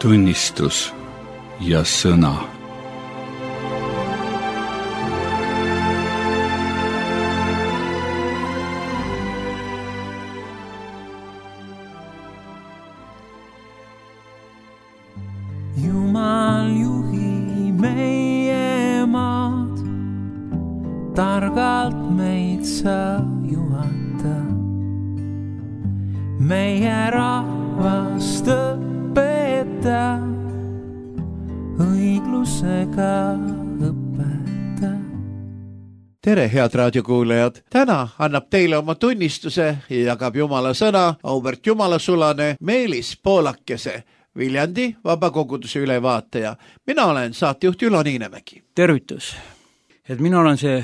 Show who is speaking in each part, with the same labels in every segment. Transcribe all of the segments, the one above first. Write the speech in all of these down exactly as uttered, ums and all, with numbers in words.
Speaker 1: tunnistus ja sõna.
Speaker 2: Jumal juhi meie maad, targalt meid sa juhata, meie rahvast õpeta, õiglusega õpeta.
Speaker 3: Tere, head raadiokuulajad! Täna annab teile oma tunnistuse ja jagab Jumala sõna auväärt Jumalasulane Meelis Poolakese, Viljandi vabakoguduse ülevaataja. Mina olen saatejuht Ülo Niinemägi.
Speaker 4: Tervitus! Et mina olen see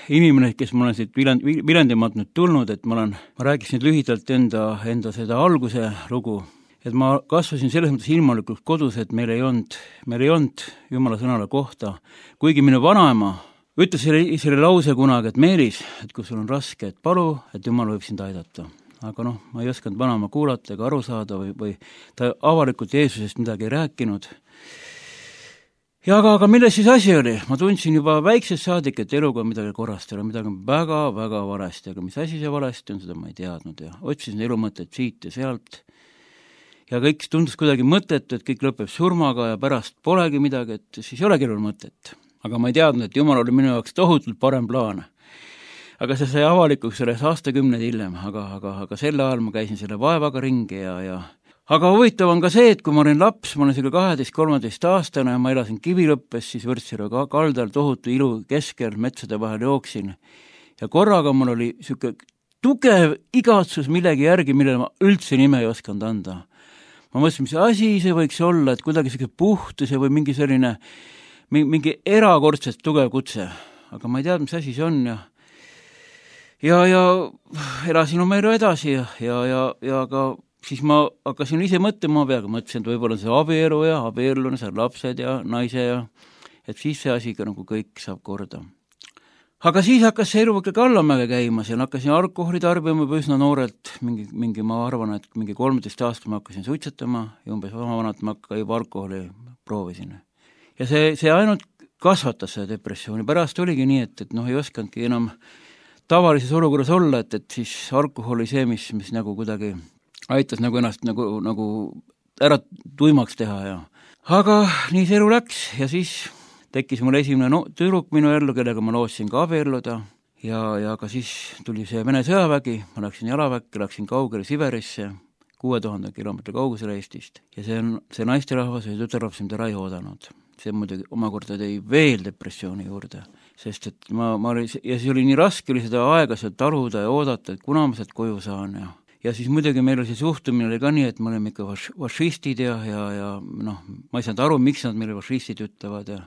Speaker 4: inimene, kes ma olen siit Viljandimaalt nüüd tulnud, et ma olen, ma rääkisin lühidalt enda, enda seda alguse lugu, et ma kasvasin selles mõttes ilmalikult kodus, et meil ei olnud, meil ei olnud Jumala sõnale kohta, kuigi minu vanaema ütles selle, selle lause kunagi, et Meelis, et kui sul on raske, et palu, et Jumal võib sind aidata. Aga noh, ma ei osanud vanaema kuulata ega aru saada või, või ta avalikult Jeesusest midagi ei rääkinud. Ja aga, aga milles siis asi oli? Ma tundsin juba väiksest saadik, et eluga on midagi korrast, midagi on väga, väga valesti, aga mis asi see valesti on, seda ma ei teadnud ja otsisin elu mõtet siit ja sealt. Ja kõik tundus kuidagi mõttetu, et kõik lõpeb surmaga ja pärast polegi midagi, et siis ei olegi elul mõtet. Aga ma ei teadnud, et Jumal oli minu jaoks tohutult parem plaan. Aga see sai avalikuks selles aastakümned hiljem, aga, aga, aga selle ajal ma käisin selle vaevaga ringi ja, ja aga huvitav on ka see, et kui ma olin laps, ma olin selle kaheteist kolmeteist aastane ja ma elasin Kivilõppes, siis Võrtsjärve kaldal tohutu ilu keskel metsade vahel jooksin. Ja korraga mul oli siuke tugev igatsus millegi järgi, millele ma üldse nime ei osanud anda. Ma mõtlesin, mis asi see võiks olla, et kuidagi siuke puhtuse või mingi selline, mingi erakordselt tugev kutse. Aga ma ei teadnud, mis asi see on ja Ja, ja elasin oma elu edasi ja, ja, ja, ja aga siis ma hakkasin ise mõtlema peaga, mõtlesin, et võib-olla see abielu ja abiellune, seal lapsed ja naise ja et siis see asi ka nagu kõik saab korda. Aga siis hakkas see elu ikkagi allamäge käima, seal hakkasin alkoholi tarbima üsna noorelt, mingi, mingi ma arvan, et mingi kolmeteist aastat ma hakkasin suitsetama ja umbes oma vanat ma ka juba alkoholi proovisin. Ja see, see ainult kasvatas seda depressiooni, pärast oligi nii, et, et noh, ei oskandki enam tavalises olukorras olla, et, et siis alkohol oli see, mis, mis nagu kuidagi aitas nagu ennast nagu, nagu ära tuimaks teha ja aga nii see elu läks ja siis tekkis mul esimene no, tüdruk minu ellu, kellega ma lootsin ka abielluda ja, ja ka siis tuli see Vene sõjavägi, ma läksin jalaväkke, läksin kaugele Siberisse, kuue tuhande kilomeetri kaugusele Eestist ja see on see naisterahvas või tütarlaps, mida ei oodanud. See muidugi omakorda tõi veel depressiooni juurde, sest et ma, ma oli, ja siis oli nii raske oli seda aega sealt taluda ja oodata, et kuna ma sealt koju saan ja ja siis muidugi meil oli see suhtumine oli ka nii, et me olime ikka fašistid ja, ja, ja noh, ma ei saanud aru, miks nad meile fašistid ütlevad ja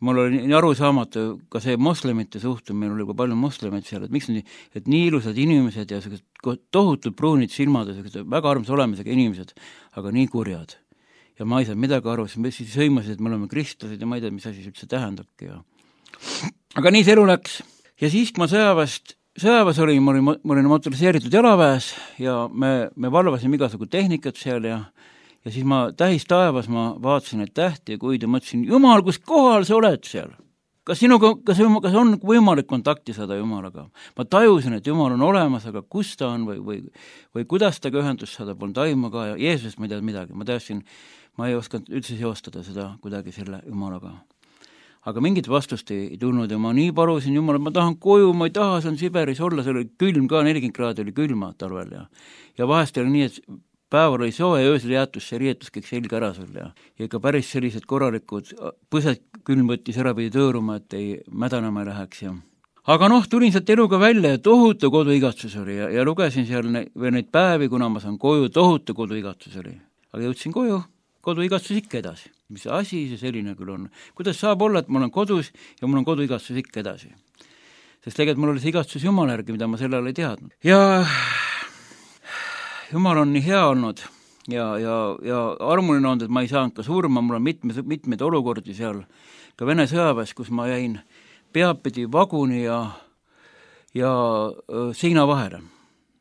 Speaker 4: mul oli nii arusaamatu ka see moslemite suhtumine, oli ka palju moslemeid seal, et miks nii, et nii ilusad inimesed ja tohutud pruunid silmad ja väga armsa olemisega inimesed, aga nii kurjad. Ja ma ei saanud midagi aru, siis sõimasid, et me oleme kristlased ja ma ei tea, mis asi üldse tähendabki. Ja aga nii see elu läks. Ja siis, kui ma sõjaväest, sõjaväes olin, ma olin, ma olin motoriseeritud jalaväes ja me, me valvasime igasugu tehnikat seal ja, ja siis ma tähis taevas ma vaatasin neid tähti ja kuid ja mõtlesin, Jumal, kus kohal sa oled seal? Kas sinuga, kas, kas on võimalik kontakti saada Jumalaga? Ma tajusin, et Jumal on olemas, aga kus ta on või, või, või kuidas ta ka ühendust saada, polnud aimu ka ja Jeesusest ma ei tead midagi. Ma teadsin, ma ei osanud üldse seostada seda kuidagi selle Jumalaga. Aga mingit vastust ei, ei tulnud ja ma nii palusin Jumal, et ma tahan koju, ma ei taha, see on Siberis olla, see oli külm ka, nelikümmend kraadi oli külma talvel ja, ja vahest oli nii, et päeval oli soe ja öösel jäätus see riietus kõik selga ära sul ja, ja ikka päris sellised korralikud põsed külm võttis ära pidi tõõruma, et ei mädanema ei läheks ja aga noh, tulin sealt eluga välja ja tohutu koduigatsus oli ja, ja lugesin seal ne, veel neid päevi, kuna ma saan koju, tohutu koduigatsus oli. Aga jõudsin koju, koduigatsus ikka edasi. Mis asi see selline küll on? Kuidas saab olla, et ma olen kodus ja mul on koduigatsus ikka edasi? Sest tegelikult mul oli see igatsus Jumala järgi, mida ma sellele ei teadnud. Ja Jumal on nii hea olnud ja, ja, ja armuline olnud, et ma ei saanud ka surma, mul on mitmed, mitmed olukordi seal, ka Vene sõjaväes, kus ma jäin peapidi vaguni ja, ja seina vahele.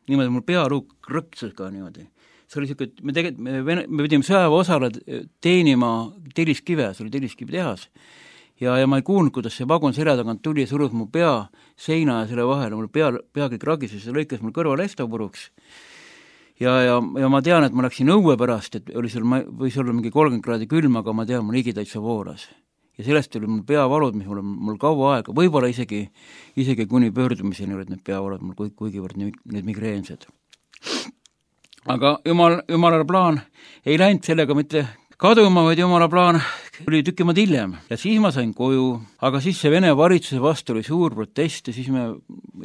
Speaker 4: Niimoodi mul pearuuk rõksus ka niimoodi. see oli siuke, me tegelikult, me, me, me pidime sõjaväe osale teenima telliskive, see oli telliskivi tehas. Ja, ja ma ei kuulnud, kuidas see vagun selja tagant tuli ja surus mu pea seina ja selle vahele, mul pea, pea kõik ragises ja lõikas mul kõrval esto puruks. Ja, ja, ja ma tean, et ma läksin õue pärast, et oli seal, võis olla mingi kolmkümmend kraadi külm, aga ma tean, mul higi täitsa voolas. Ja sellest oli mul peavalud, mis mul, mul kaua aega, võib-olla isegi, isegi kuni pöördumiseni olid need peavalud mul kuigivõrd need migreensed. Aga jumal, jumalale plaan ei läinud sellega mitte kaduma, vaid jumala plaan oli tükimad hiljem ja siis ma sain koju, aga siis see Vene valitsuse vastu oli suur protest ja siis me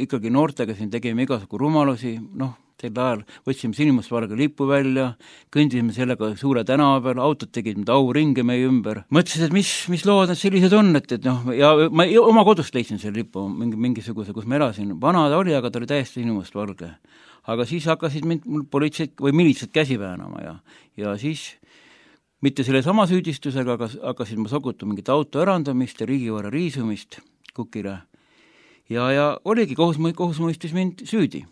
Speaker 4: ikkagi noortega siin tegime igasugu rumalusi, noh, sel ajal võtsime sinimustvalge lipu välja, kõndisime sellega suure tänava peal, autod tegid mida auringe meie ümber. Mõtlesin, et mis, mis lood need sellised on, et, et noh, ja ma oma kodust leidsin selle lipu, mingi, mingisuguse, kus ma elasin. Vana ta oli, aga ta oli täiesti sinimustvalge. Aga siis hakkasid mind mul politseid või militsed käsi väänama ja, ja siis mitte selle sama süüdistusega, aga hakkasid ma sogutu mingit auto ärandamist ja riigivara riisumist kukile. Ja, ja oligi, kohus, kohus mõistis mind süüdi.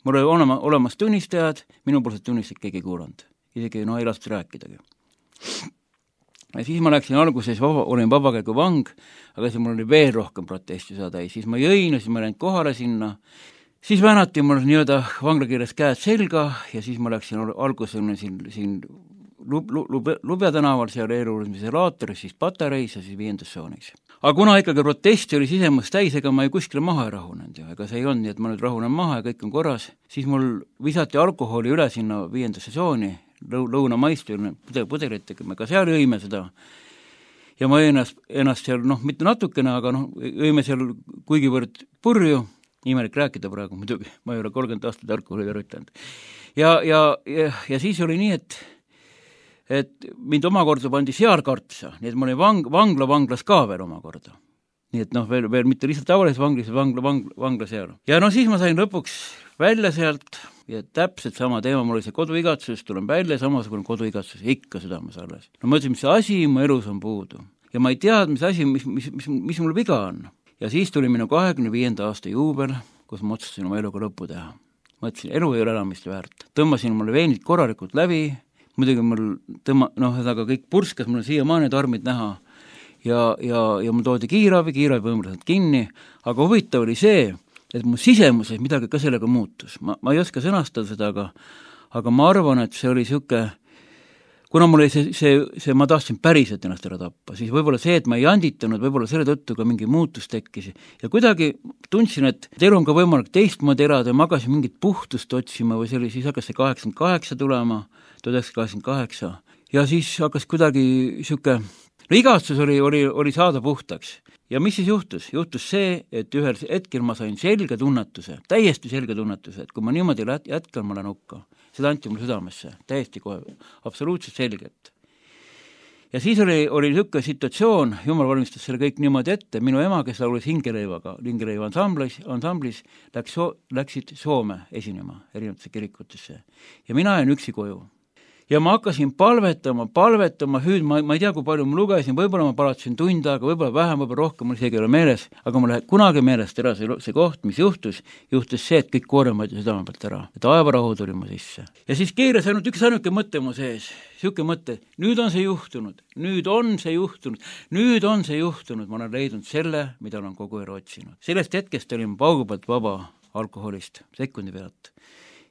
Speaker 4: Mul oli olema, olemas tunnistajad, minu poolsed tunnistajad keegi kuulanud. Isegi no, ei lastud rääkidagi. Ja siis ma läksin alguses, vaba, olin vabakäigu vang, aga siis mul oli veel rohkem protesti saada. Siis ma jõin ja siis ma läinud kohale sinna. Siis väänati mul nii-öelda vanglakirjas käed selga ja siis ma läksin alguses siin, siin Lub, lub, Lubja tänaval, seal eeluurimise laatoris, siis patareis ja siis viiendas soonis. Aga kuna ikkagi protesti oli sisemust täis, ega ma ei kuskile maha ei rahunenud ja ega see ei olnud nii, et ma nüüd rahunen maha ja kõik on korras, siis mul visati alkoholi üle sinna viiendasse sooni, lõu, lõunamaist pudel, pudelitega, me ka seal jõime seda ja ma jõin ennast, ennast seal, noh, mitte natukene, aga noh, jõime seal kuigivõrd purju, imelik rääkida praegu muidugi, ma ei ole kolmkümmend aastat alkoholi üritanud. Ja, ja, ja, ja siis oli nii, et et mind omakorda pandi sealkartsa, nii et ma olin vang, vangla vanglas ka veel omakorda. Nii et noh, veel, veel mitte lihtsalt tavalises vanglis, vangla, vangla, vangla seal. Ja no siis ma sain lõpuks välja sealt ja täpselt sama teema, mul oli see koduigatsus, tulen välja, samasugune koduigatsus, ikka südames alles. No ma ütlesin, mis asi mu elus on puudu. Ja ma ei tead, mis asi, mis, mis, mis, mis mul viga on. Ja siis tuli minu kahekümne viienda aasta juubel, kus ma otsustasin oma eluga lõppu teha. Ma ütlesin, elu ei ole elamist väärt. Tõmbasin mulle veenid korralikult läbi, muidugi mul tõmma, noh, aga kõik purskas, mul on siiamaani tarmid näha ja, ja, ja mul toodi kiirabi, kiirabi võimaliselt kinni, aga huvitav oli see, et mu sisemuses midagi ka sellega muutus. Ma, ma ei oska sõnastada seda, aga, aga ma arvan, et see oli siuke, kuna mul oli see, see, see, ma tahtsin päriselt ennast ära tappa, siis võib-olla see, et ma ei anditanud, võib-olla selle tõttu ka mingi muutus tekkis ja kuidagi tundsin, et elu on ka võimalik teistmoodi elada ja ma hakkasin mingit puhtust otsima või see oli, siis hakkas see kaheksakümmend kaheksa tulema, tuhat üheksasada kaheksakümmend kaheksa ja siis hakkas kuidagi siuke, no igatsus oli, oli, oli saada puhtaks ja mis siis juhtus? Juhtus see, et ühel hetkel ma sain selge tunnetuse, täiesti selge tunnetuse, et kui ma niimoodi jätkan, ma lähen hukka. Seda anti mul südamesse, täiesti kohe, absoluutselt selgelt. Ja siis oli, oli niisugune situatsioon, Jumal valmistas selle kõik niimoodi ette, minu ema, kes laulis hingeleivaga, hingeleiva ansamblis, ansamblis läks so, läksid Soome esinema erinevatesse kirikutesse ja mina jäin üksi koju. Ja ma hakkasin palvetama, palvetama, hüüd, ma, ma ei tea, kui palju ma lugesin, võib-olla ma palatasin tund aega, võib-olla vähem, võib-olla rohkem, mul isegi ei ole meeles, aga mul läheb kunagi meelest ära see, see koht, mis juhtus, juhtus see, et kõik koorem võeti südame pealt ära, et aevarahu tuli mu sisse. Ja siis keeras ainult üks ainuke mõte mu sees, siuke mõte, nüüd on see juhtunud, nüüd on see juhtunud, nüüd on see juhtunud, ma olen leidnud selle, mida olen kogu aeg otsinud. Sellest hetkest olin paugu pealt vaba alkoholist, sekundi pealt.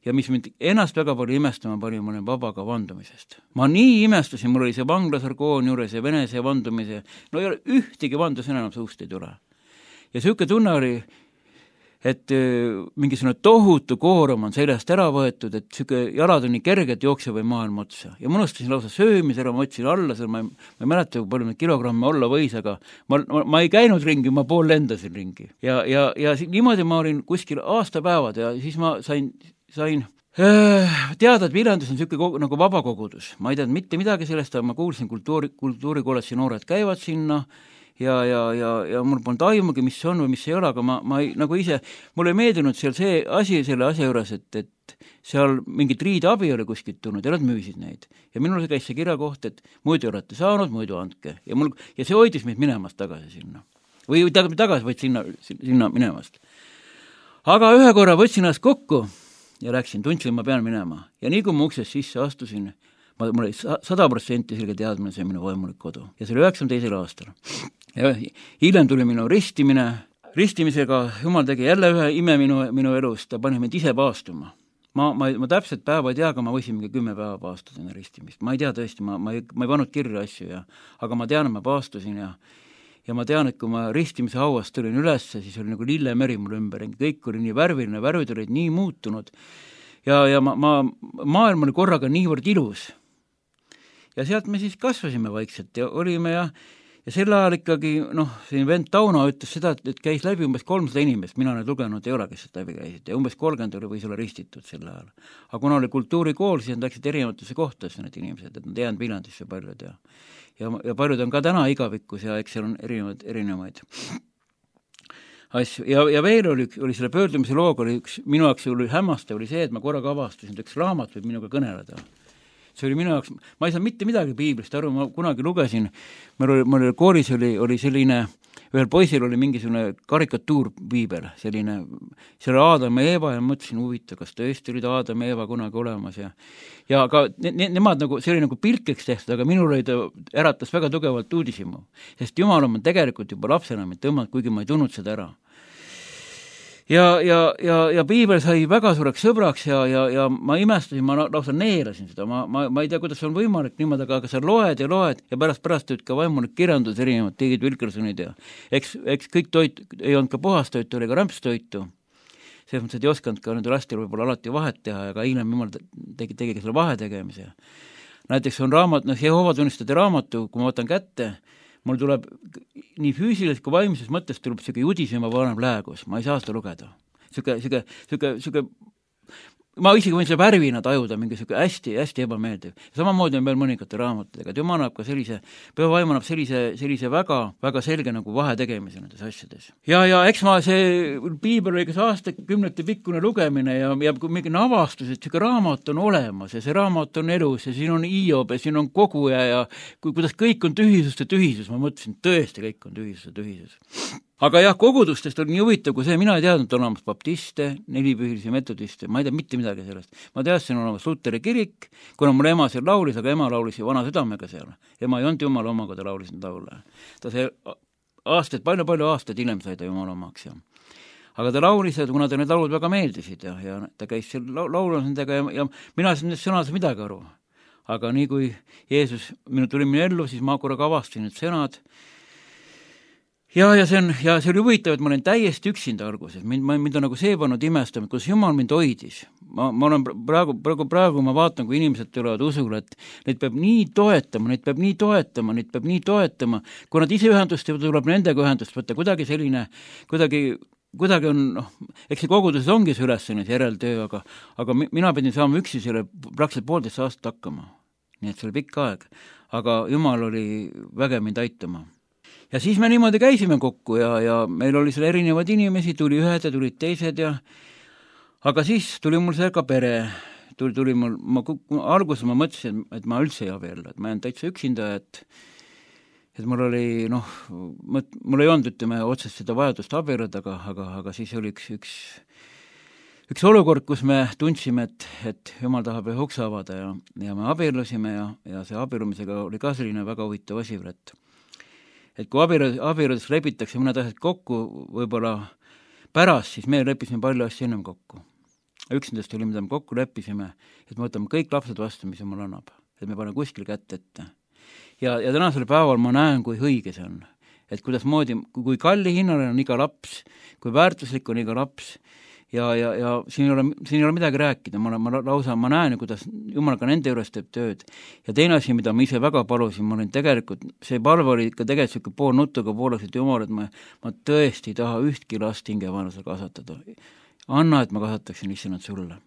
Speaker 4: Ja mis mind ennast väga palju imestama pani, ma olin vaba ka vandumisest. Ma nii imestasin, mul oli see vanglasargoon juures ja venese vandumise, no ei ole ühtegi vandus enam suust ei tule. Ja siuke tunne oli, et mingisugune tohutu koorem on seljast ära võetud, et siuke jalad on nii kerged jookse või maailma otsa. Ja ma unustasin lausa söömis ära, ma otsin alla, seal ma ei, ma ei mäleta, kui palju kilogramme olla võis, aga ma, ma, ma ei käinud ringi, ma pool lendasin ringi. Ja, ja, ja niimoodi ma olin kuskil aastapäevad ja siis ma sain sain teada, et Viljandis on niisugune nagu vabakogudus. Ma ei teadnud mitte midagi sellest, aga ma kuulsin kultuuri, kultuurikolledži noored käivad sinna ja, ja, ja, ja mul polnud aimugi, mis on või mis ei ole, aga ma, ma ei, nagu ise, mul ei meeldinud seal see asi selle asja juures, et, et seal mingit riideabi oli kuskilt tulnud ja nad müüsid neid. Ja minul käis see kirja koht, et muidu olete saanud, muidu andke. Ja, mul, ja see hoidis meid minemast tagasi sinna. Või tagasi võid sinna, sinna minemast. Aga ühe korra võtsin ennast kokku ja läksin, tundsin, ma pean minema. Ja nii kui ma uksest sisse astusin, ma, mul oli sada protsenti selge teadmine, see on minu vaimulik kodu. Ja see oli üheksakümne teisel aastal. Ja hiljem tuli minu ristimine. Ristimisega Jumal tegi jälle ühe ime minu, minu elust, ta pani mind ise paastuma. Ma, ma, ma täpselt päeva ei tea, aga ma võisin mingi kümme päeva paastada enne ristimist. Ma ei tea tõesti, ma, ma, ei, ma ei pannud kirja asju, ja, aga ma tean, et ma paastusin ja, ja ma tean, et kui ma ristimise hauast tulin üles, siis oli nagu lillemeri mul ümber. Kõik oli nii värviline, värvid olid nii muutunud ja, ja ma, ma, maailm oli korraga niivõrd ilus. Ja sealt me siis kasvasime vaikselt ja olime ja Ja sel ajal ikkagi, noh, siin vend Tauno ütles seda, et käis läbi umbes kolmsada inimest, mina nüüd lugenud ei ole, kes seda läbi käisid, ja umbes kolmkümmend oli võis olla ristitud sel ajal. Aga kuna oli kultuurikool, siis nad läksid erinevatesse kohtadesse need inimesed, et nad jäänud Viljandisse paljud ja, ja, ja paljud on ka täna igavikus ja eks seal on erinevaid, erinevaid asju. Ja, ja veel oli, oli selle pöördumise looga, oli üks, minu jaoks oli hämmastav, oli see, et ma korraga avastasin, et üks raamat võib minuga kõneleda. See oli minu jaoks, ma ei saa mitte midagi piiblist aru, ma kunagi lugesin, meil oli, meil oli koolis oli, oli selline, ühel poisil oli mingisugune karikatuur piibel, selline, seal oli Aadam ja Eeva ja mõtlesin huvita, kas tõesti olid Aadam ja Eeva kunagi olemas ja ja aga ne, ne, nemad nagu, see oli nagu pilkeks tehtud, aga minul oli ta äratas väga tugevalt uudishimu, sest Jumal on tegelikult juba lapsena mind tõmmanud, kuigi ma ei tundnud seda ära. Ja, ja, ja, ja piibel sai väga suureks sõbraks ja, ja, ja ma imestasin, ma lausa neerasin seda, ma, ma, ma ei tea, kuidas on võimalik niimoodi, aga sa loed ja loed ja pärast pärast tööd ka vaimulik kirjandus erinevad, tegid Wilkersonid ja eks, eks kõik toit ei olnud ka puhastoitu, oli ka rämpstoitu. Selles mõttes, et ei osanud ka nende lastel võib-olla alati vahet teha ja ka hiljem Jumal tegi, tegi selle vahe tegemise. Näiteks on raamat, noh, Jehoova tunnistajate raamatu, kui ma võtan kätte, mul tuleb nii füüsiliselt kui vaimses mõttes tuleb siuke judisema vanem läägus, ma ei saa seda lugeda. Siuke, siuke, siuke, siuke, ma isegi võin selle värvina tajuda, mingi siuke hästi, hästi ebameeldiv. Samamoodi on veel mõningate raamatudega, et Jumal annab ka sellise, püha vaim annab sellise, sellise väga, väga selge nagu vahe tegemise nendes asjades. Ja, ja eks ma see piibel oli kas aastakümnete pikkune lugemine ja, ja mingi avastus, et siuke raamat on olemas ja see raamat on elus ja siin on Iob ja siin on koguja ja kui, kuidas kõik on tühisus ja tühisus, ma mõtlesin, tõesti kõik on tühisus ja tühisus. Aga jah, kogudustest oli nii huvitav, kui see, mina ei teadnud, on olemas baptiste, nelipühilisi metodiste, ma ei tea mitte midagi sellest. Ma teadsin, on olemas Luteri kirik, kuna mul ema seal laulis, aga ema laulis vana südamega seal. Ema ei olnud Jumala oma, kui ta laulis need laule. Ta see aastaid, palju-palju aastaid hiljem sai ta Jumala omaks. Ja. Aga ta laulis, kuna ta need laulud väga meeldisid ja, ja ta käis seal laulus nendega ja, ja mina siin sõnades midagi aru. Aga nii kui Jeesus minu tuli minu ellu, siis ma korraga avastasin need sõnad. Ja, ja see on, ja see oli huvitav, et ma olen täiesti üksinda alguses. Mind, mind on nagu see pannud imestama, kus Jumal mind hoidis. Ma, ma olen praegu, praegu, praegu ma vaatan, kui inimesed tulevad usule, et neid peab nii toetama, neid peab nii toetama, neid peab nii toetama. Kui nad ise ühendust teevad, tuleb nendega ühendust võtta. Kuidagi selline, kuidagi, kuidagi on, noh, eks see koguduses ongi see ülesanne, see järeltöö, aga, aga mina pidin saama üksi selle praktiliselt poolteist aastat hakkama. Nii et see oli pikk aeg. Aga Jumal oli väge mind aitama. Ja siis me niimoodi käisime kokku ja, ja meil oli seal erinevad inimesi, tuli ühed ja tulid teised ja aga siis tuli mul see ka pere, tuli, tuli mul, ma alguses ma mõtlesin, et ma üldse ei abiellu, et ma jään täitsa üksinda, et et mul oli, noh, mõt, mul ei olnud, ütleme, otsest seda vajadust abielluda, aga, aga, aga siis oli üks, üks, üks olukord, kus me tundsime, et, et Jumal tahab ühe ukse avada ja, ja me abiellusime ja, ja see abiellumisega oli ka selline väga huvitav asi, et et kui abieludest lepitakse mõned asjad kokku, võib-olla pärast, siis me leppisime palju asju ennem kokku. Üks nendest oli, mida me kokku leppisime, et me võtame kõik lapsed vastu, mis Jumal annab, et me paneme kuskil kätt ette. Ja, ja tänasel päeval ma näen, kui õige see on. Et kuidas moodi, kui kalli hinnale on iga laps, kui väärtuslik on iga laps, ja, ja, ja siin, ei ole, siin ei ole midagi rääkida, ma, ma lausa, ma näen, kuidas Jumal ka nende juures teeb tööd. Ja teine asi, mida ma ise väga palusin, ma olin tegelikult, see palve oli ikka tegelikult pool nutuga pooleks, et Jumal, et ma, ma tõesti ei taha ühtki last hingevaenlasel kasvatada. Anna, et ma kasvataksin issand sulle.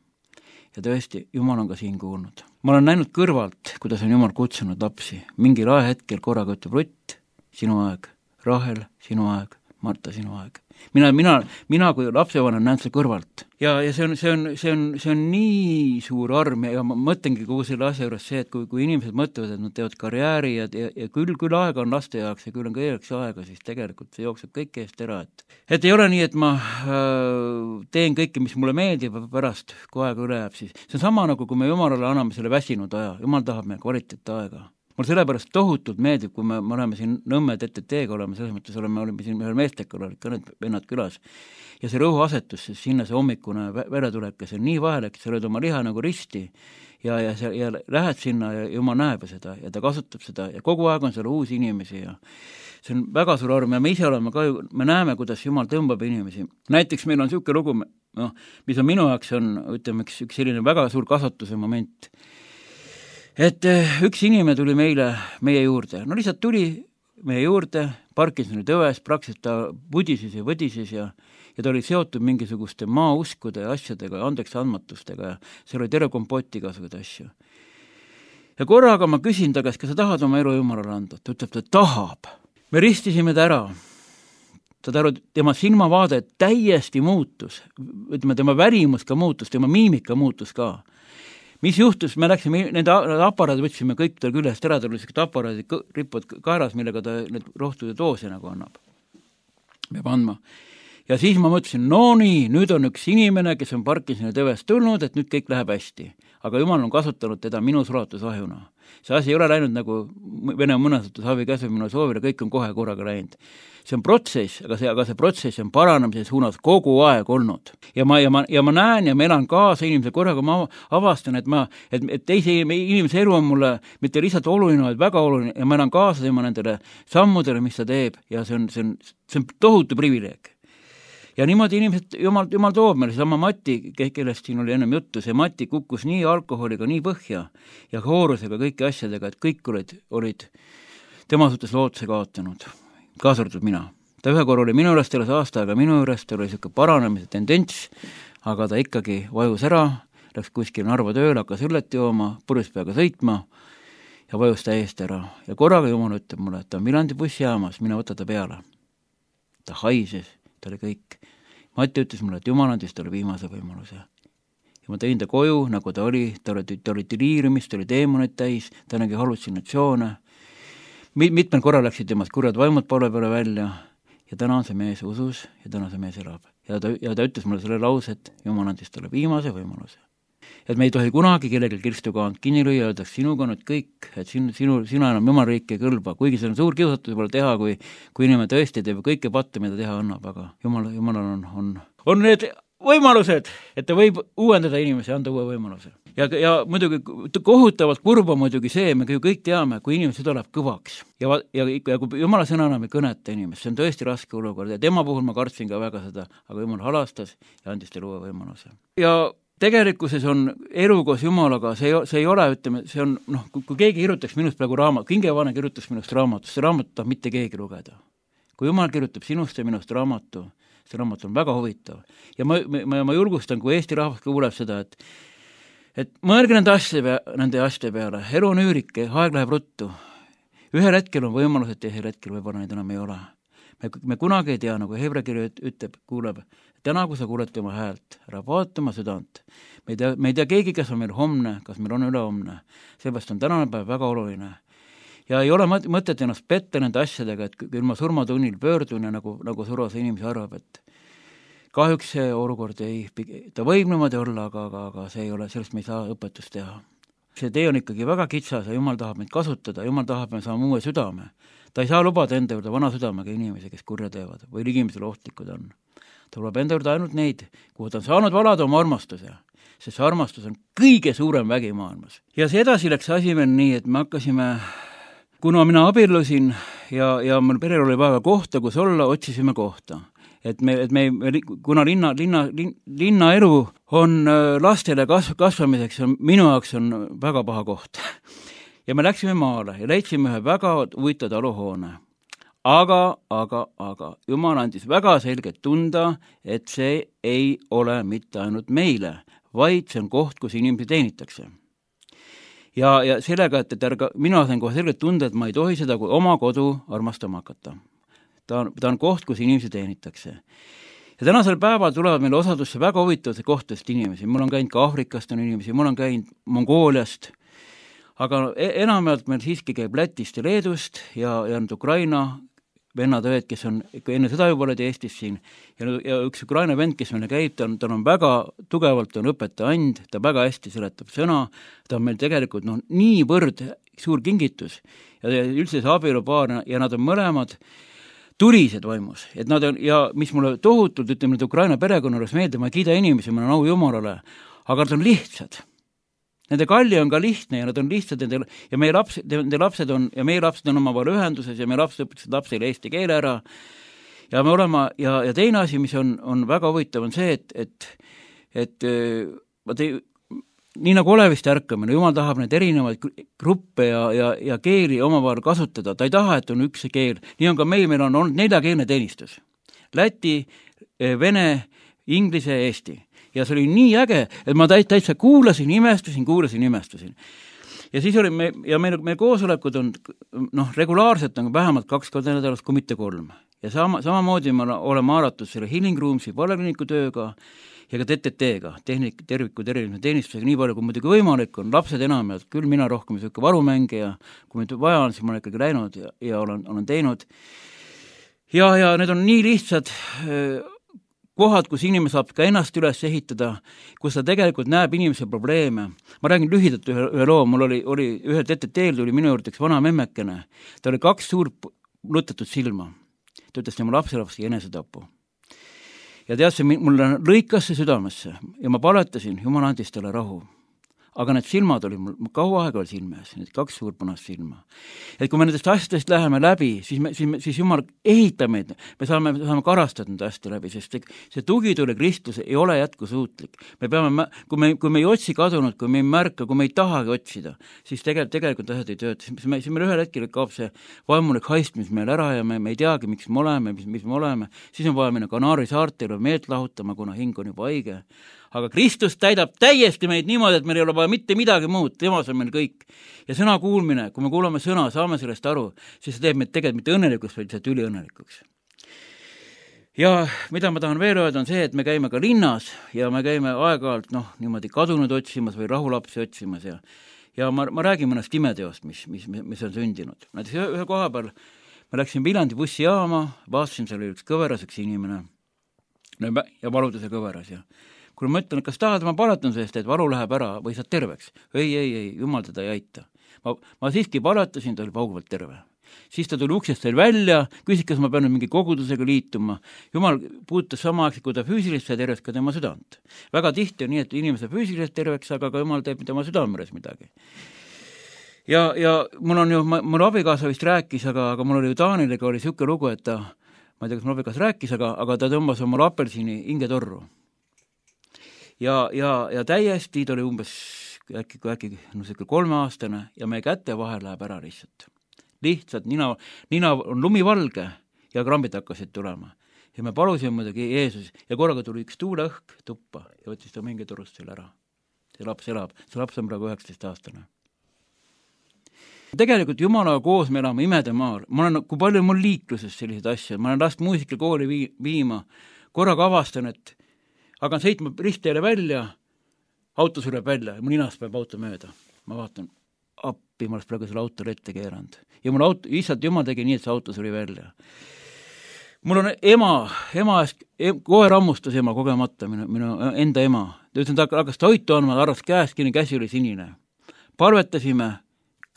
Speaker 4: Ja tõesti, Jumal on ka siin kuulnud. Ma olen näinud kõrvalt, kuidas on Jumal kutsunud lapsi. Mingil ajahetkel korraga ütleb Rutt, sinu aeg, Rahel, sinu aeg, Marta, sinu aeg. Mina, mina, mina kui lapsevanem näen seda kõrvalt. Ja, ja see on, see on, see on, see on nii suur arm ja ma mõtlengi kogu selle asja juures see, et kui, kui inimesed mõtlevad, et nad teevad karjääri ja, ja, ja küll, küll aega on laste jaoks ja küll on kõigeks aega, siis tegelikult see jookseb kõik eest ära, et et ei ole nii, et ma äh, teen kõike, mis mulle meeldib ja pärast, kui aega üle jääb, siis see on sama nagu, kui me Jumalale anname selle väsinud aja, Jumal tahab meie kvaliteet aega. Mul sellepärast tohutult meeldib, kui me, me oleme siin Nõmme T T T-ga oleme, selles mõttes oleme, oleme siin ühel meestekal, olid ka need vennad külas. Ja see rõhuasetus, siis sinna see hommikune veretulek, see on nii vahelijk, sa lööd oma liha nagu risti ja, ja, see, ja lähed sinna ja Jumal näeb seda ja ta kasutab seda ja kogu aeg on seal uusi inimesi ja see on väga suur arm ja me ise oleme ka, me näeme, kuidas Jumal tõmbab inimesi. Näiteks meil on niisugune lugu, no, mis on minu jaoks on, ütleme, üks, üks selline väga suur kasvatuse moment. Et üks inimene tuli meile, meie juurde, no lihtsalt tuli meie juurde, Parkinsoni tõves, praktiliselt ta pudisis ja võdisis ja, ja ta oli seotud mingisuguste maauskude ja asjadega, andeks andmatustega ja seal oli terve kompoti igasuguseid asju. Ja korraga ma küsin ta käest, kas sa tahad oma elu Jumalale anda? Ta ütleb, ta tahab. Me ristisime ta ära. Ta taru, tema silmavaade täiesti muutus, ütleme, tema värimus ka muutus, tema miimika muutus ka. Mis juhtus, me läksime, nende aparaadi võtsime kõik tal küljest ära, tal oli sellised aparaadid ripod kaeras, millega ta need rohtude doose nagu annab. Peab andma. Ja siis ma mõtlesin, no nii, nüüd on üks inimene, kes on Parkinsoni tõvest tulnud, et nüüd kõik läheb hästi. Aga Jumal on kasutanud teda minu sulatusahjuna. See asi ei ole läinud nagu Vene mõnesutus havi käsu minu soovile, kõik on kohe korraga läinud. See on protsess, aga see, aga see protsess on paranemise suunas kogu aeg olnud. Ja ma, ja ma, ja ma näen ja ma elan kaasa inimese korraga, ma avastan, et, ma, et, et teise inimese elu on mulle mitte lihtsalt oluline, vaid väga oluline ja ma elan kaasa tema nendele sammudele, mis ta teeb ja see on, see on, see on tohutu privileeg. Ja niimoodi inimesed, Jumal, Jumal toob meile sama Mati, kellest siin oli ennem juttu, see Mati kukkus nii alkoholiga, nii põhja ja hoorusega kõiki asjadega, et kõik olid, olid tema suhtes lootuse kaotanud, kaasa arvatud mina. Ta ühe korra oli minu juures teles aasta aega, minu juures ta oli selline paranemise tendents, aga ta ikkagi vajus ära, läks kuskil Narva tööle, hakkas õllet jooma, purjus peaga sõitma ja vajus täiesti ära. Ja korraga Jumal ütleb mulle, et ta on Viljandi bussijaamas, mine võta ta peale. Ta haises, ta oli kõik. Mati ütles mulle, et Jumal andis talle viimase võimaluse. Ja ma tõin ta koju, nagu ta oli, ta oli, ta oli deliiriumist, ta oli deemonid täis, ta nägi halutsinatsioone. Mitmel korral läksid temast kurjad vaimud poole peale välja ja täna on see mees usus ja täna see mees elab. Ja ta, ja ta ütles mulle selle lause, et Jumal andis talle viimase võimaluse. Et me ei tohi kunagi kellelgi kirstukaant kinni lüüa, öeldaks sinuga nüüd kõik, et sinu, sinu, sina enam Jumal riiki ei kõlba, kuigi see on suur kiusatus võib-olla teha, kui, kui inimene tõesti teeb kõike patte, mida teha annab, aga Jumal, Jumalal on, on, on need võimalused, et ta võib uuendada inimesi, anda uue võimaluse. Ja, ja muidugi kohutavalt kurba muidugi see, me ju kõik teame, kui inimene süda läheb kõvaks ja, ja, ja kui Jumala sõna enam ei kõneta inimest, see on tõesti raske olukord ja tema puhul ma kartsin ka väga seda, aga Jumal halastas ja andis teile uue võimaluse. Ja tegelikkuses on elu koos Jumalaga, see, see ei ole, ütleme, see on, noh, kui, kui keegi kirjutaks minust praegu raamat, Kingevane kirjutas minust raamatust, see raamat tahab mitte keegi lugeda. Kui Jumal kirjutab sinust ja minust raamatu, see raamat on väga huvitav. Ja ma, ma, ma julgustan, kui Eesti rahvas kuuleb seda, et, et mõelge nende asjade, pea, nende asjade peale, elu on üürike, aeg läheb ruttu. Ühel hetkel on võimalus, et teisel hetkel võib-olla neid enam ei ole. Me, me kunagi ei tea, nagu Hebrekiri ütleb, kuuleb, täna, kui sa kuuled tema häält, ära vaata oma südant. Me ei tea, me ei tea keegi, kas on meil homne, kas meil on ülehomne. Seepärast on tänane päev väga oluline. Ja ei ole mõtet ennast petta nende asjadega, et küll ma surmatunnil pöördun ja nagu, nagu survase inimese arvab, et kahjuks see olukord ei, ta võib niimoodi olla, aga, aga, aga see ei ole, sellest me ei saa õpetust teha. See tee on ikkagi väga kitsas ja Jumal tahab meid kasutada, Jumal tahab me saama uue südame. Ta ei saa lubada enda juurde vana südamega inimesi, kes kurja teevad või inimesele ohtlikud on. Ta lubab enda juurde ainult neid, kuhu ta on saanud valada oma armastuse, sest see armastus on kõige suurem vägi maailmas. Ja see edasi läks asi veel nii, et me hakkasime, kuna mina abiellusin ja, ja mul perel oli vaja kohta, kus olla, otsisime kohta. Et me, et me, kuna linna, linna, linna elu on lastele kasv, kasvamiseks, on, minu jaoks on väga paha koht. Ja me läksime maale ja leidsime ühe väga huvitav taluhoone. Aga, aga, aga Jumal andis väga selgelt tunda, et see ei ole mitte ainult meile, vaid see on koht, kus inimesi teenitakse. Ja, ja sellega, et, et ärga, mina sain kohe selgelt tunda, et ma ei tohi seda kui oma kodu armastama hakata. ta on, ta on koht, kus inimesi teenitakse. Ja tänasel päeval tulevad meile osadusse väga huvitavate kohtadest inimesi. Mul on käinud ka Aafrikast on inimesi, mul on käinud Mongooliast, aga enamalt meil siiski käib Lätist ja Leedust ja, ja nüüd Ukraina vennad õed, kes on enne seda juba olid Eestis siin ja, ja üks Ukraina vend, kes meile käib, ta on, ta on väga tugevalt on õpetaja and, ta väga hästi seletab sõna, ta on meil tegelikult noh, niivõrd suur kingitus ja üldse see abielupaar ja nad on mõlemad tulised vaimus, et nad on, ja mis mulle tohutult, ütleme, et Ukraina perekonna juures meeldib, ma ei kiida inimesi, ma olen au Jumalale, aga nad on lihtsad. Nende kalli on ka lihtne ja nad on lihtsad nende, ja meie laps, nende lapsed on, ja meie lapsed on omavahel ühenduses ja meie lapsed õpetasid lapsele eesti keele ära ja me olema, ja, ja teine asi, mis on, on väga huvitav, on see, et, et, et ma tei, nii nagu olevist ärkamine, Jumal tahab neid erinevaid gruppe ja, ja, ja keeli omavahel kasutada, ta ei taha, et on üks keel, nii on ka meil, meil on olnud neljakeelne teenistus. Läti, vene, inglise ja eesti. Ja see oli nii äge, et ma täitsa kuulasin, imestusin, kuulasin, imestusin. Ja siis oli me, ja meil, meil koosolekud on noh, regulaarselt on vähemalt kaks korda nädalas, kui mitte kolm. Ja sama, samamoodi me oleme haaratud selle Healing Roomsi paleliiniku tööga ja ka T T T-ga, tehnik, terviku terviline teenistusega, nii palju kui muidugi võimalik on, lapsed enam ja küll mina rohkem selline varumängija, kui nüüd vaja on, siis ma olen ikkagi läinud ja, ja olen, olen teinud. Ja, ja need on nii lihtsad kohad, kus inimene saab ka ennast üles ehitada, kus ta tegelikult näeb inimese probleeme. Ma räägin lühidalt ühe, ühe loo, mul oli, oli ühe T T T-l tuli minu juurde üks vana memmekene, ta oli kaks suurt lutatud silma, ta ütles tema lapselapsi enesetapu. Ja tead, see mulle lõikas see südamesse ja ma paletasin, Jumal andis talle rahu. Aga need silmad oli mul, kaua aega oli silmes, need kaks suurt punast silma. Et kui me nendest asjadest läheme läbi, siis, me, siis, me, siis Jumal ehitab meid, me saame, me saame karastada need hästi läbi, sest see, see tugitule Kristus ei ole jätkusuutlik. Me peame, kui me, kui me ei otsi kadunud, kui me ei märka, kui me ei tahagi otsida, siis tegelikult, tegelikult asjad ei tööta. Siis me, siis meil ühel hetkel kaob see vaimulik haistmis meil ära ja me, me ei teagi, miks me oleme, mis, mis me oleme. Siis on vaja minna Kanaari saartele meelt lahutama, kuna hing on juba haige. Aga Kristus täidab täiesti meid niimoodi, et meil ei ole vaja mitte midagi muud, temas on meil kõik. Ja sõna kuulmine, kui me kuulame sõna, saame sellest aru, siis see teeb meid tegelikult mitte õnnelikuks, vaid see tüli õnnelikuks. Ja mida ma tahan veel öelda on see, et me käime ka linnas ja me käime aeg-ajalt noh, niimoodi kadunud otsimas või rahulapsi otsimas ja, ja ma, ma räägin mõnest imeteost, mis, mis, mis on sündinud. Näiteks ühe, ühe koha peal ma läksin Viljandi bussijaama, vaatasin, seal oli üks kõveras üks inimene ja valuduse kõveras ja kui ma ütlen, kas tahad, ma paletan sellest, et valu läheb ära või saad terveks. Ei, ei, ei, Jumal teda ei aita. Ma, ma siiski paletasin, ta oli pauguvalt terve. Siis ta tuli uksest veel välja, küsis, kas ma pean mingi kogudusega liituma. Jumal puutus samaaegselt, kui ta füüsilist ja terveks ka tema südant. Väga tihti on nii, et inimese füüsilist terveks, aga ka Jumal teeb tema südameres midagi. Ja, ja mul on ju, mul abikaasa vist rääkis, aga, aga mul oli ju Taanilega oli siuke lugu, et ta, ma ei tea, kas mul abikaas rääkis, aga, aga ta tõmbas oma apelsini hingetorru. Ja, ja, ja täiesti ta oli umbes äkki, äkki no, kolmeaastane ja meie käte vahel läheb ära lihtsalt. Lihtsalt nina, nina on lumivalge ja krambid hakkasid tulema. Ja me palusime muidugi Jeesus ja korraga tuli üks tuuleõhk tuppa ja võttis ta mingi torust selle ära. See laps elab, see laps on praegu üheksateist aastane. Tegelikult Jumalaga koos me elame imede maal. Ma olen, kui palju mul liikluses sellised asjad, ma olen last muusikakooli vii, viima, korraga avastan, et aga sõitma ristteele välja, auto sureb välja ja mu ninast peab auto mööda. Ma vaatan, appi, ma oleks praegu selle autole ette keeranud. Ja mul auto, lihtsalt Jumal tegi nii, et see auto suri välja. Mul on ema, ema eest, kohe rammustas ema kogemata, minu, minu enda ema. Ta ütlen, ta hakkas toitu andma, arvas käest, kini käsi oli sinine. Palvetasime,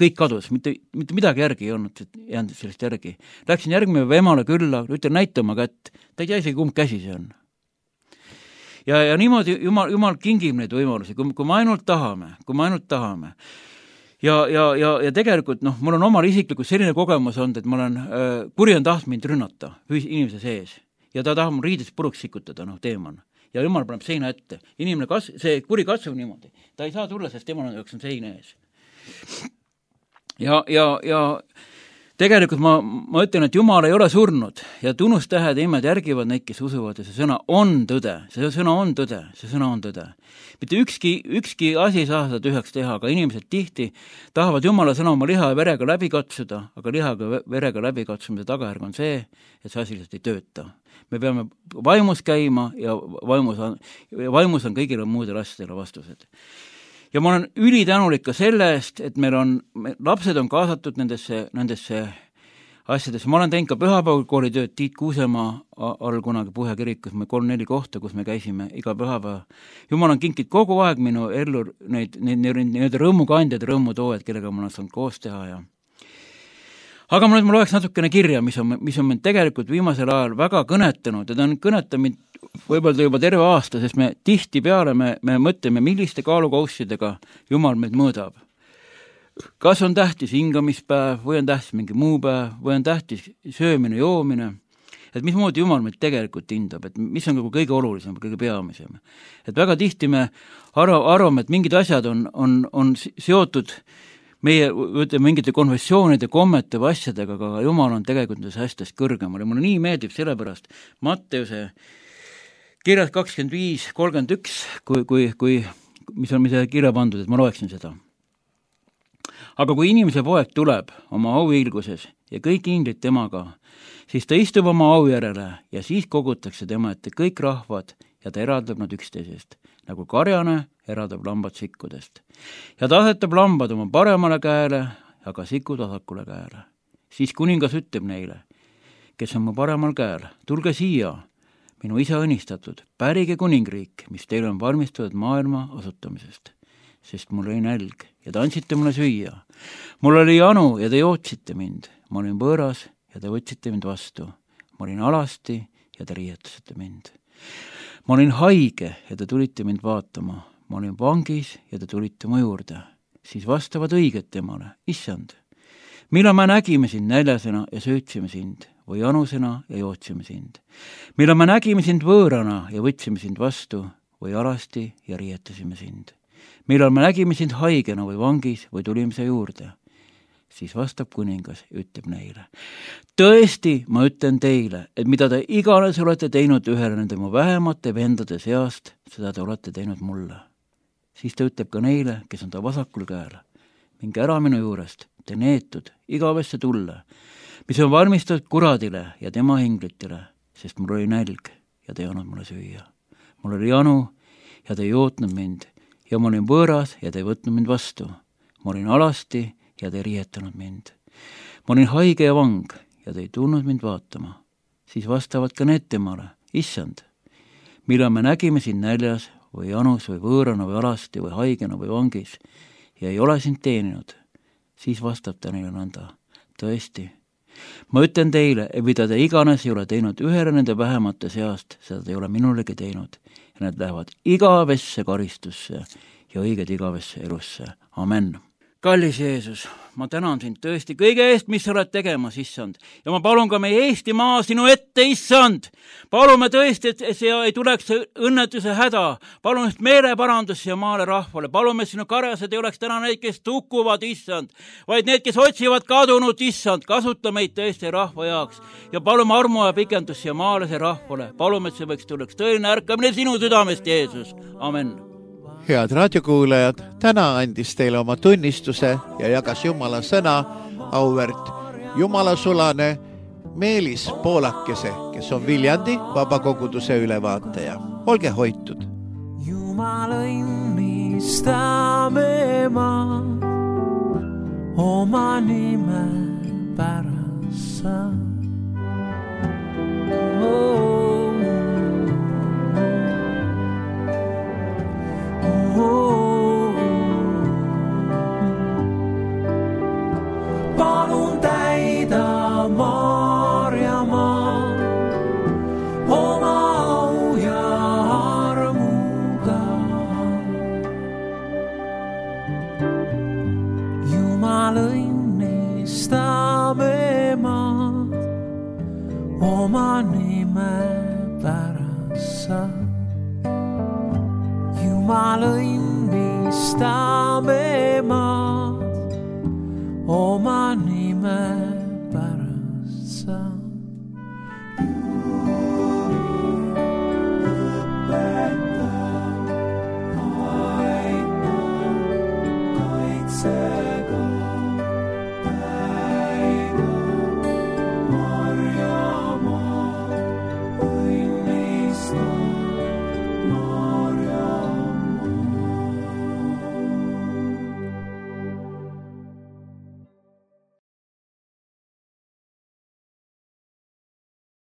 Speaker 4: kõik kadus, mitte, mitte midagi järgi ei olnud, jäänud sellest järgi. Läksin järgmine emale külla, ütlen, näita oma kätt. Ta ei tea isegi, kumb käsi see on. Ja, ja niimoodi Jumal, Jumal kingib neid võimalusi, kui, kui me ainult tahame, kui me ainult tahame. Ja, ja, ja, ja tegelikult, noh, mul on omal isiklikult selline kogemus olnud, et ma olen, äh, kuri on taht mind rünnata inimese sees. Ja ta tahab mul riidest puruks sikutada, noh, teeman. Ja Jumal paneb seina ette. Inimene kas, see kuri katsub niimoodi. Ta ei saa tulla, sest temal on, on seina ees. Ja, ja, ja tegelikult ma, ma ütlen, et Jumal ei ole surnud ja tunnustähed ja imed järgivad neid, kes usuvad ja see sõna on tõde, see sõna on tõde, see sõna on tõde. Mitte ükski, ükski asi ei saa seda tühjaks teha, aga inimesed tihti tahavad Jumala sõna oma liha ja verega läbi katsuda, aga lihaga ja verega läbi katsumise tagajärg on see, et see asi lihtsalt ei tööta. Me peame vaimus käima ja vaimus on, vaimus on kõigile muudele asjadele vastused. Ja ma olen ülitänulik ka selle eest, et meil on, lapsed on kaasatud nendesse, nendesse asjadesse. Ma olen teinud ka pühapäevakooli tööd Tiit Kuusemaa all kunagi Puhja kirikus, me kolm-neli kohta, kus me käisime iga pühapäeva. Jumal on kinkid kogu aeg minu ellu neid, neid, neid, neid rõõmukandjad, rõõmutoojad, kellega ma olen saanud koos teha ja aga ma nüüd ma loeks natukene kirja, mis on, mis on mind tegelikult viimasel ajal väga kõnetanud ja ta on kõnetanud võib-olla juba terve aasta, sest me tihti peale me, me mõtleme, milliste kaalukaussidega Jumal meid mõõdab. Kas on tähtis hingamispäev või on tähtis mingi muu päev või on tähtis söömine, joomine, et mismoodi Jumal meid tegelikult hindab, et mis on kõige olulisem, kõige peamisem. Et väga tihti me arvame, et mingid asjad on, on, on seotud meie ütleme, mingite konfessioonide, kommete või asjadega, aga Jumal on tegelikult nendes asjadest kõrgemal ja mulle nii meeldib sellepärast Matteuse kirjas kakskümmend viis kolmkümmend üks, kui, kui, kui, mis on mida kirja pandud, et ma loeksin seda. Aga kui inimese poeg tuleb oma auhiilguses ja kõik inglid temaga, siis ta istub oma au järele ja siis kogutakse tema ette kõik rahvad ja ta eraldab nad üksteisest, nagu karjane eraldab lambad sikkudest. Ja ta asetab lambad oma paremale käele, aga sikud vasakule käele. Siis kuningas ütleb neile, kes on mu paremal käel, tulge siia, minu isa õnnistatud, pärige kuningriik, mis teil on valmistatud maailma asutamisest, sest mul oli nälg ja te andsite mulle süüa. Mul oli janu ja te jootsite mind, ma olin võõras ja te võtsite mind vastu, ma olin alasti ja te riietasite mind. Ma olin haige ja te tulite mind vaatama, ma olin vangis ja te tulite mu juurde, siis vastavad õiged temale, issand. Millal me nägime sind näljasena ja söötsime sind või janusena ja jootsime sind. Millal me nägime sind võõrana ja võtsime sind vastu või alasti ja riietasime sind. Millal me nägime sind haigena või vangis või tulime sa juurde. Siis vastab kuningas ja ütleb neile. Tõesti, ma ütlen teile, et mida te iganes olete teinud ühele nende mu vähemate vendade seast, seda te olete teinud mulle. Siis ta ütleb ka neile, kes on ta vasakul käel. Minge ära minu juurest, te neetud, igavesse tulle, mis on valmistatud kuradile ja tema hinglitele, sest mul oli nälg ja te ei andnud mulle süüa. Mul oli janu ja te ei jootnud mind ja ma olin võõras ja te ei võtnud mind vastu. Ma olin alasti ja te ei riietanud mind. Ma olin haige ja vang ja te ei tulnud mind vaatama. Siis vastavad ka need temale, issand, millal me nägime sind näljas või janus või võõrana või alasti või haigena või vangis ja ei ole sind teeninud, siis vastab ta neile nõnda. Tõesti, ma ütlen teile, et mida te iganes ei ole teinud ühele nende vähemate seast, seda te ei ole minulegi teinud ja need lähevad igavesse karistusse ja õiged igavesse elusse. Amen. Kallis Jeesus, ma tänan sind tõesti kõige eest, mis sa oled tegemas, issand. Ja ma palun ka meie Eesti maa sinu ette, issand. Palume tõesti, et see ei tuleks õnnetuse häda. Palun just meeleparandus siia maale rahvale. Palume sinu karjased ei oleks täna neid, kes tukkuvad, issand, vaid need, kes otsivad kadunud, issand. Kasuta meid tõesti rahva jaoks. Ja palume armu ja pikendus siia maale see rahvale. Palume, et see võiks tuleks tõeline ärkamine sinu südamest, Jeesus. Amen.
Speaker 3: Head raadiokuulajad, täna andis teile oma tunnistuse ja jagas Jumala sõna auväärt Jumalasulane Meelis Poolakese, kes on Viljandi vabakoguduse ülevaataja. Olge hoitud.
Speaker 2: Jumal õnnistame ma oma nime pärast sa. Oh. Palun täida Maarjamaa oma au ja armuga. Jumal õnnistame maad oma nime pärast sa. Jumal õnnistame maad oma